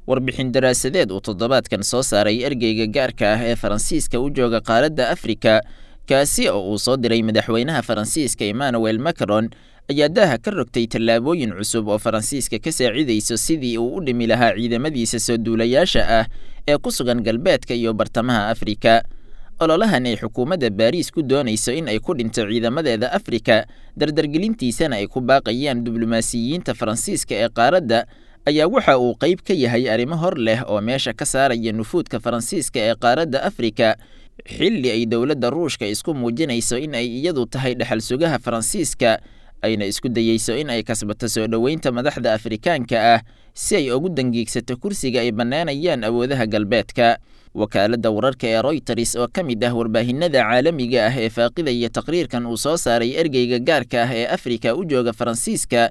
Warbixin daraasadeed uu toddobaadkan soo saaray ergeyga gaarka ah ee Faransiiska u jooga qaaradda Afrika, kaasi oo uu soo diray madaxweynaha Faransiiska Emmanuel Macron, ayaa daaha ka rogtay tallaabooyin cusub oo Faransiiska ka saacidayso sidii uu u dhimi lahaa ciidamadiisa soo duulayaasha ah ee ku sugan galbeedka iyo bartamaha Afrika. Ololahan ay xukuumadda Baariis ku doonayso in ay ku dhinto ciidamadeeda Afrika, dardargelintiisana ay ku baaqayaan diblomaasiyiinta Faransiiska ee qaaradda, ayaa waxa uu qayb ka yahay arrimo hor leh oo meesha ka saaraya nufuudka Faransiiska ee qaaradda Afrika, xilli ay dowladda Ruushka isku muujinayso in ay iyadu tahay dhexal sugaha Faransiiska, ayna isku dayeyso in ay kasbato soo dhoweynta madaxda Afrikaanka ah si ay ugu dangiigsato kursiga ay bannaanayaan awoodaha galbeedka. Wakaaladda wararka ee Reuters oo ka mid ah warbaahinada caalamiga ah ee faaqidaya taqriirkan uu soo saaray ergeyga gaarka ah ee Afrika u jooga Faransiiska,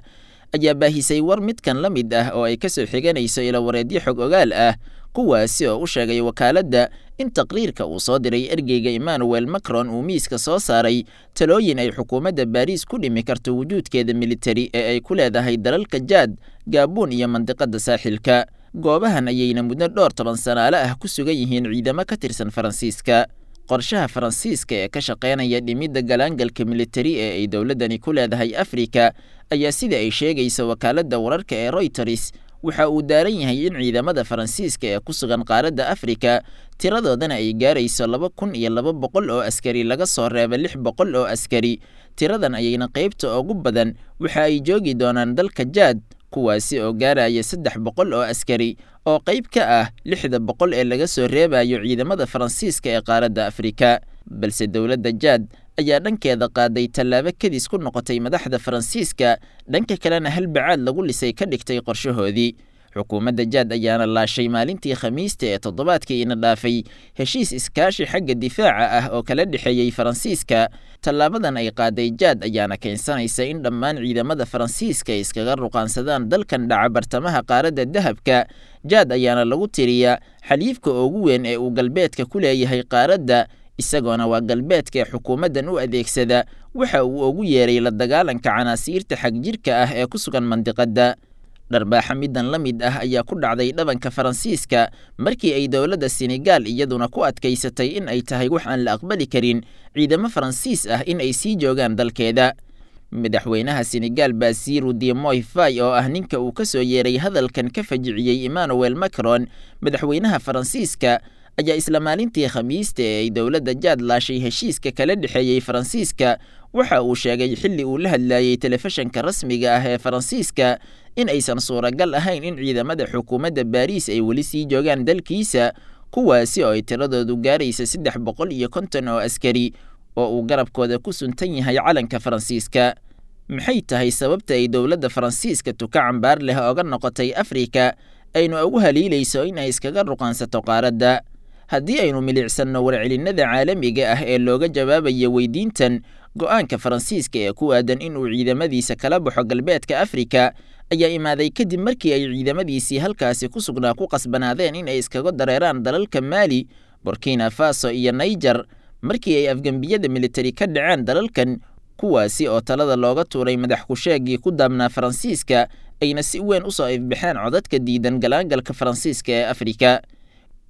ayaa baahisay war midkan la mid ah oo ay ka soo xiganayso ilawareedyo xog ogaal ah, kuwaasi oo u sheegay wakaaladda in taqriirka uu soo diray ergeyga Emmanuel Macron uu miiska soo saaray talooyin ay xukuumadda Baariis ku dhimi karto wujuudkeeda militari ee ay ku leedahay dalalka Jaad, Gaabuun iyo mandiqadda saaxilka. Goobahan ayayna muddo dhowr toban sanaale ah ku sugan yihiin ciidamo ka tirsan Faransiiska. Qorshaha Faransiiska ee ka shaqeynaya dhimidda galaangalka militari ee ay dowladdani ku leedahay Afrika ayaa, sida ay sheegayso wakaaladda wararka ee Reuters, waxa uu daaran yahay in ciidamada Faransiiska ee ku sugan qaaradda Afrika tiradoodana ay gaarayso 2200 oo askari laga soo reebo 600 oo askari. Tiradan ayayna qaybta ugu badan waxa ay joogi doonaan dalka Jaad, kuwaasi oo gaaraya 300 oo askari oo qayb ka ah 600 ee laga soo reebayo ciidamada Faransiiska ee qaaradda Afrika. Balse dowladda Jaad ayaa dhankeeda qaaday tallaabo kadis ku noqotay madaxda Faransiiska, dhanka kalena hal bacaad lagu lisay ka dhigtay qorshahoodii. Xukuumadda Jaad ayaana laashay maalintii Khamiista ee toddobaadkii ina dhaafay heshiis iskaashi xagga difaaca ah oo kala dhexeeyey Faransiiska. Tallaabadan ay qaaday Jaad ayaana keensanaysa in dhammaan ciidamada Faransiiska ay iskaga ruqaansadaan dalkan dhaca bartamaha qaaradda dahabka. Jaad ayaana lagu tiriyaa xaliifka ugu weyn ee uu galbeedka ku leeyahay qaaradda, isagoona waa galbeedka ee xukuumaddan u adeegsada waxa uu ugu yeeray la dagaalanka canaasiirta xagjirka ah ee ku sugan mandiqadda. Dharbaaxa middan la mid ah ayaa ku dhacday dhabanka Faransiiska markii ay dowladda Senegaal iyaduna ku adkaysatay in ay tahay wax aan la aqbali karin ciidamo Faransiis ah in ay sii joogaan dalkeeda. Madaxweynaha Senegaal Basiru Diomaye Faye, oo ah ninka uu ka soo yeeray hadalkan ka fajiciyey Emmanuel Macron, madaxweynaha Faransiiska, ayaa isla maalintii Khamiista ee ay dowladda Jaad laashay heshiiska kala dhexeeyey Faransiiska waxa uu sheegay xilli uu la hadlayey telefishanka rasmiga ah ee Faransiiska in aysan suuragal ahayn in ciidamada xukuumadda Baariis ay weli sii joogaan dalkiisa, kuwaasi oo ay tiradoodu gaaraysa 350 oo askari oo uu garabkooda ku suntan yahay calanka Faransiiska. Maxay tahay sababta ay dowladda Faransiiska tuka cambaar leh oga noqotay Afrika, aynu ugu haliilayso in ay iskaga ruqaansato qaaradda? Haddii aynu milicsanno warcelinnada caalamiga ah ee looga jawaabayo weydiintan, go'aanka Faransiiska ee ku aadan inuu ciidamadiisa kala baxo galbeedka Afrika ayaa imaaday kadib markii ay ciidamadiisii halkaasi ku sugnaa ku qasbanaadeen in ay iskaga dareeraan dalalka Maali, Burkina Faso iyo Niger, markii ay afgembiyada militari ka dhaceen dalalkan, kuwaasi oo talada looga tuuray madax ku-sheegii ku daabnaa Faransiiska, ayna si weyn usoo ifbaxeen codadka diidan galaangalka Faransiiska ee Afrika.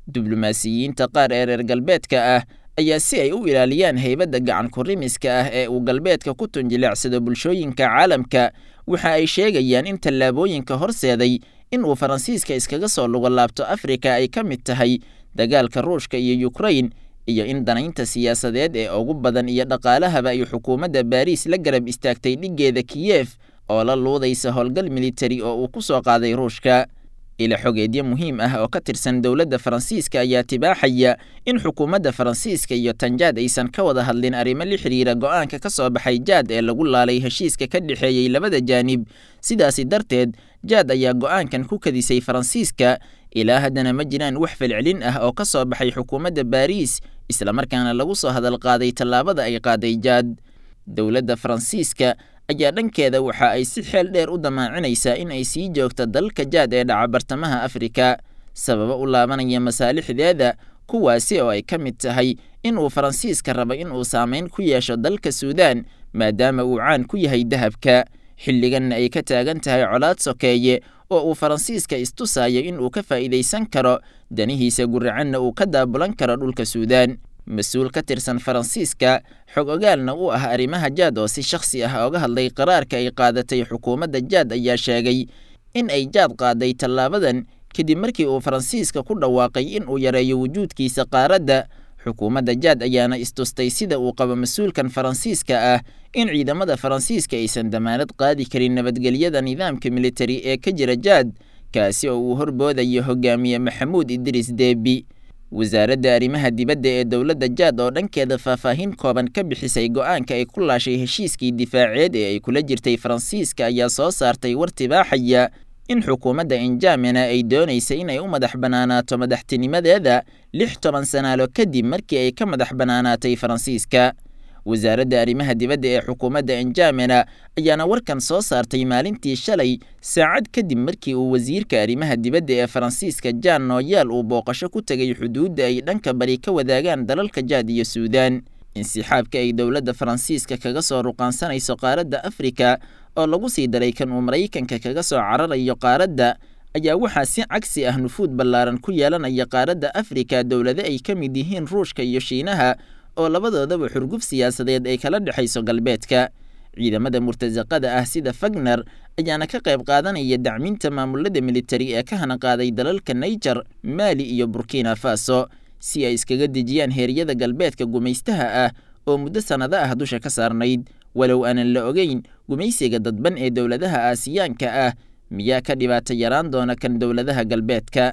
Diblomaasiyiinta qaar ee reer galbeedka ah ayaa si ay u ilaaliyaan heybadda gacan kurimiska ah ee uu galbeedka ku tunjileecsado bulshooyinka caalamka, waxa ay sheegayaan in tallaabooyinka horseeday in uu Faransiiska iskaga soo lugo laabto Afrika ay ka mid tahay dagaalka Ruushka iyo Ukrain, iyo in danaynta siyaasadeed ee ugu badan iyo dhaqaalahaba ay xukuumadda Baariis la garab istaagtay dhiggeeda Kiyef oo la luudaysa howlgal militari oo uu ku soo qaaday Ruushka. Ila xogeedyo muhiim ah oo ka tirsan dowladda Faransiiska ayaa tibaaxaya in xukuumadda Faransiiska iyo Tanjaad aysan ka wada hadlin arrimo la xiriira go'aanka ka soo baxay Jaad ee lagu laalay heshiiska ka dhexeeyey labada jaanib. Sidaasi darteed, Jaad ayaa go'aankan ku kadisay Faransiiska. Ilaa haddana ma jiraan wax falcelin ah oo ka soo baxay xukuumadda Baariis, islamarkaana lagu soo hadal qaaday tallaabada ay qaaday Jaad. Dowladda Faransiiska ayaa dhankeeda waxa ay si xeel dheer u damaacinaysaa in ay sii joogto dalka Jaad ee dhaca bartamaha Afrika, sababo u laabanaya masaalixdeeda, kuwaasi oo ay ka mid tahay in uu Faransiiska rabo in uu saameyn ku yeesho dalka Suudaan, maadaama uu caan ku yahay dahabka, xilliganna ay ka taagan tahay colaad sokeeye oo uu Faransiiska istusayo in uu ka faa'iidaysan karo danihiisa guracanna uu ka daabulan karo dhulka Suudaan. Mas-uul ka tirsan Faransiiska, xog ogaalna u ah arrimaha Jaad oo si shakhsi ah oga hadlay qaraarka ay qaadatay xukuumadda Jaad, ayaa sheegay in ay Jaad qaaday tallaabadan kadib markii uu Faransiiska ku dhawaaqay in uu yareeyo wujuudkiisa qaaradda. Xukuumadda Jaad ayaana istustay sida uu qabo mas-uulkan Faransiiska ah in ciidamada Faransiiska aysan damaanad qaadi karin nabadgelyada nidaamka militari ee ka jira Jaad, kaasi oo uu horboodayo hogaamiye Maxamuud Idriis Deebi. Wasaaradda arrimaha dibadda ee dowladda Jaad oo dhankeeda faahfaahin kooban ka bixisay go'aanka ay ku laashay heshiiskii difaaceed ee ay kula jirtay Faransiiska ayaa soo saartay war tibaaxaya in xukuumadda Injamena ay doonaysa in ay u madax bannaanaato madaxtinimadeeda 60 sanaalo kadib markii ay ka madax bannaanaatay Faransiiska. Wasaaradda arrimaha dibadda ee xukuumadda Injamena ayaana warkan soo saartay maalintii shalay, saacad kadib markii uu wasiirka arrimaha dibadda ee Faransiiska Jean Noel uu booqasho ku tegay xuduudda ay dhanka bari ka wadaagaan dalalka Jaad iyo Suudaan. Insixaabka ay dowladda Faransiiska kaga soo ruqaansanayso qaaradda Afrika oo lagu sii daray kan uu Maraykanka kaga soo cararayo qaaradda ayaa waxaa si cagsi ah nufuud ballaaran ku yeelanaya qaaradda Afrika dowlado ay ka mid yihiin Ruushka iyo Shiinaha oo labadoodaba xurguf siyaasadeed ay kala dhexayso galbeedka. Ciidamada murtasaqada ah sida Fagner ayaana ka qayb qaadanaya dacminta maamulada militari ee ka hanaqaaday dalalka Niger, Mali iyo Burkina Faso si ay iskaga dejiyaan heeryada galbeedka gumaystaha ah oo muddo sannado ah dusha ka saarnayd. Walow aanan la ogeyn gumaysiga dadban ee dowladaha Aasiyaanka ah miyaa ka dhibaato yaraan doona kan dowladaha galbeedka.